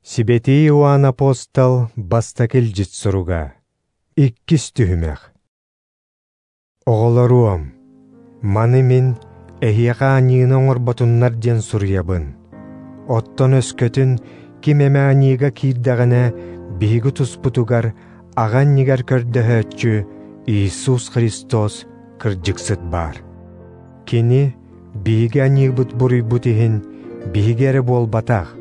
Сибэтии Иоанн апостол бастакы илдьит суруга. Иккис түһүмэх. Оҕолоруом, маны мин эһиэхэ аньыыны оҥорботуннар диэн суруйабын. Оттон өскөтүн ким эмэ аньыыга киирдэҕинэ, биһиги туспутугар аҕа иннигэр көрдөһөөччү Иисус Христос кырдьыксыт баар. Кини биһиги аньыыбыт буруйбут иһин биһиги эрэ буолбатах,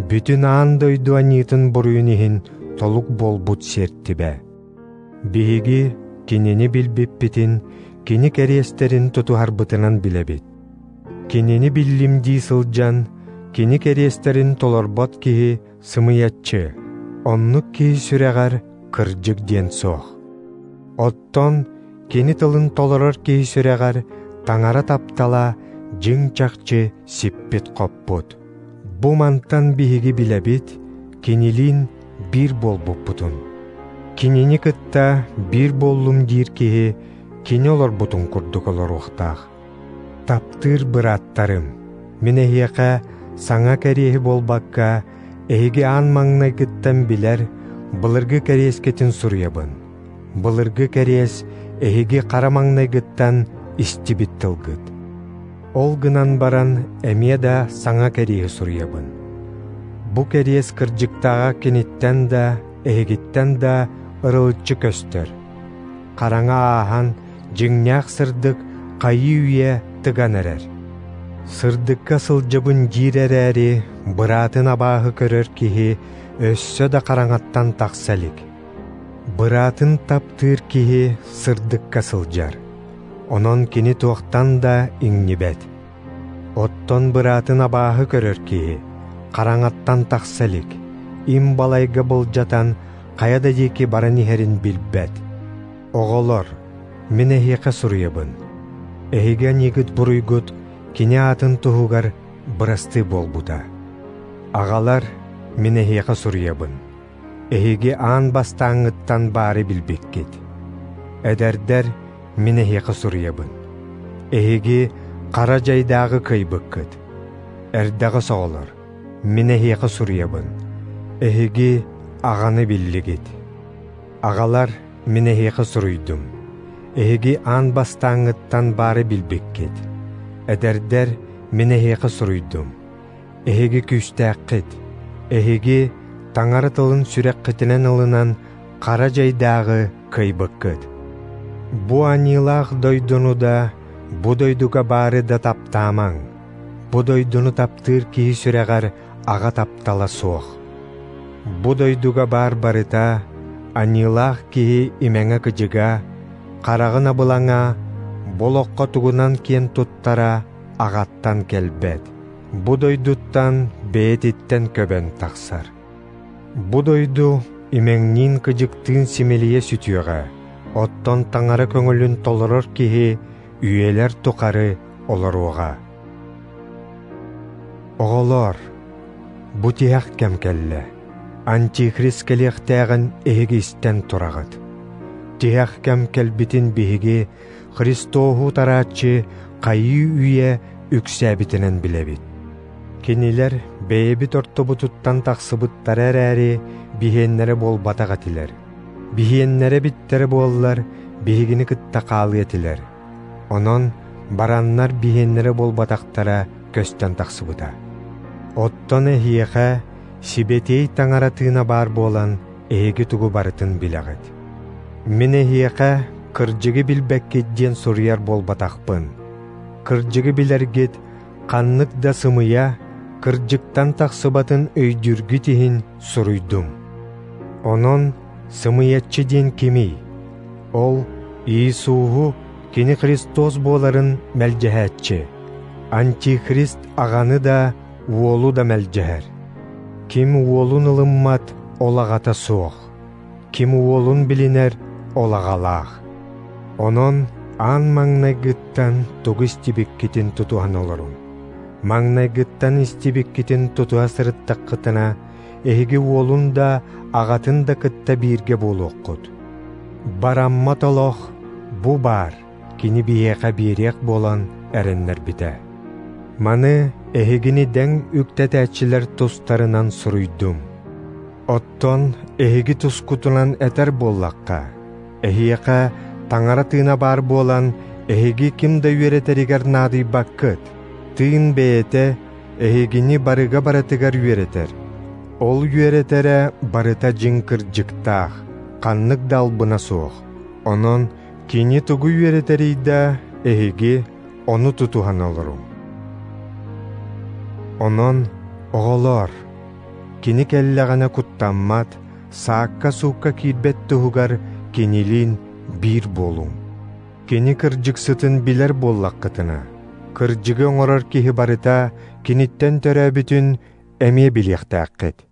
бүтүн аан дойду аньыытын буруйун иһин толук буолбут сиэртибэ. Биһиги кинини билбиппитин, кини кэриэстэрин тутуһарбытынан билэбит. Кинини биллим дии сылдьан, кини кэриэстэрин толорбот киһи сымыйаччы, оннук киһи сүрэҕэр кырдьык диэн суох. Оттон кини тылын толорор киһи сүрэҕэр Таҥара таптала дьиҥ-чахчы сиппит-хоппут. Бу мантан биһиги билэбит, кинилиин биир буолбуппутун. Кинини кытта биир буоллум диир киһи кини олорбутун курдук олоруохтаах. Таптыыр бырааттарым, мин эһиэхэ саҥа кэриэһи буолбакка, эһиги аан маҥнайгыттан билэр былыргы кэриэскитин суруйабын. Былыргы кэриэс эһиги хара маҥнайгыттан истибит тылгыт. Ол гынан баран эмиэ да саҥа кэриэһи суруйабын. Бу кэриэс кырдьыктааҕа киниттэн да, эһигиттэн да ырылыччы көстөр. Хараҥа ааһан, дьиҥнээх сырдык хайыы-үйэ тыган эрэр. Сырдыкка сылдьабын диир эрээри, быраатын абааһы көрөр киһи өссө да хараҥаттан тахса илик. Быраатын таптыыр киһи сырдыкка сылдьар, онон кини туохтан да иҥнибэт. Оттон быраатын абааһы көрөр киһи хараҥаттан тахса илик, им балайга былдьатан хайа да диэки баран иһэрин билбэт. Оҕолор, мин эһиэхэ суруйабын. Эһиги аньыыгыт буруйгут кини аатын туһугар бырастыы буолбута. Аҕалар, мин эһиэхэ суруйабын. Эһиги аан бастааҥҥыттан баары билбиккит. Эдэрдэр, мин эһиэхэ суруйабын. Эһиги хара дьайдааҕы кыайбыккыт. Эрдэҕэс оҕолор, мин эһиэхэ суруйабын. Эһиги аҕаны биллигит. Аҕалар, мин эһиэхэ суруйдум. Эһиги аан бастааҥҥыттан баары билбиккит. Эдэрдэр, мин эһиэхэ суруйдум. Эһиги күүстээххит. Эһиги Таҥара тылын сүрэххитинэн ылынан хара дьайдааҕы кыайбыккыт. Бу аньыылаах дойдуну да, бу дойдуга баары да таптаамаҥ. Бу дойдуну таптыыр киһи сүрэҕэр аҕа таптала суох. Бу дойдуга баар барыта аньыылаах киһи имэҥэ-кыдьыга, хараҕын абылаҥа, бу олоххо тугунан киэн туттара аҕаттан кэлбэт. Бу дойдуттан бэйэтиттэн көбөн тахсар. Бу дойду имэҥниин-кыдьыктыын симэлийэ сүтүөҕэ, оттон Таҥара көҥүлүн толорор киһи үйэлэр тухары олоруоҕа. Оҕолоор, бу тиһэх кэм кэллэ. Антихрист кэлиэхтээҕин эһиги истэн тураҕыт. Тиһэх кэм кэлбитин биһиги Христоһу утарааччы хайыы-үйэ үксээбитинэн билэбит. Кинилэр бэйэбит ортобутуттан тахсыбыттара эрээри, биһиэннэрэ буолбатах этилэр. Биһиэннэрэ биттэрэ буоллар, биһигини кытта хаалыа этилэр. Онон бараннар биһиэннэрэ буолбатахтара көстөн тахсыбыта. Оттон эһиэхэ Сибэтиэй Таҥара тыына баар буолан, эһиги тугу барытын билэҕит. Мин эһиэхэ кырдьыгы билбэккит диэн суруйар буолбатахпын. Кырдьыгы билэргит ханнык да сымыйа, кырдьыктан тахсыбатын өйдүүргүт иһин суруйдум. Онон сымыйаччы диэн кимий? Ол Иисуһу кини Христос буоларын мэлдьэһээччи. Антихрист аҕаны да, уолу да мэлдьэһэр. Ким уолун ылыммат, ол аҕата суох. Ким уолун билинэр, ол аҕалаах. Онон аан маҥнайгыттан тугу истибиккитин тутуһан олоруҥ. Маҥнайгыттан истибиккитин тутуһа сырыттаххытына, эһиги уолун да, аҕатын да кытта бииргэ буолуоххут. Бараммат олох бу баар, кини биһиэхэ биэриэх буолан эрэннэрбитэ. Маны эһигини дэҥ үктэтээччилэр тустарынан суруйдум. Оттон эһиги тускутунан этэр буоллахха, эһиэхэ Таҥара Тыына баар буолан, эһиги ким да үөрэтэригэр наадыйбаккыт. Тыын бэйэтэ эһигини барыга барытыгар үөрэтэр. Ол үөрэтэрэ барыта дьиҥ кырдьыктаах, ханнык да албына суох. Онон кини тугу үөрэтэрий да, эһиги ону тутуһан олоруҥ. Онон, оҕолоор, кини кэллэҕинэ куттаммат, саакка-суукка киирбэт туһугар кинилиин биир буолуҥ. Кини кырдьыксытын билэр буоллаххытына, кырдьыгы оҥорор киһи барыта киниттэн төрөөбүтүн эмиэ билиэхтээххит.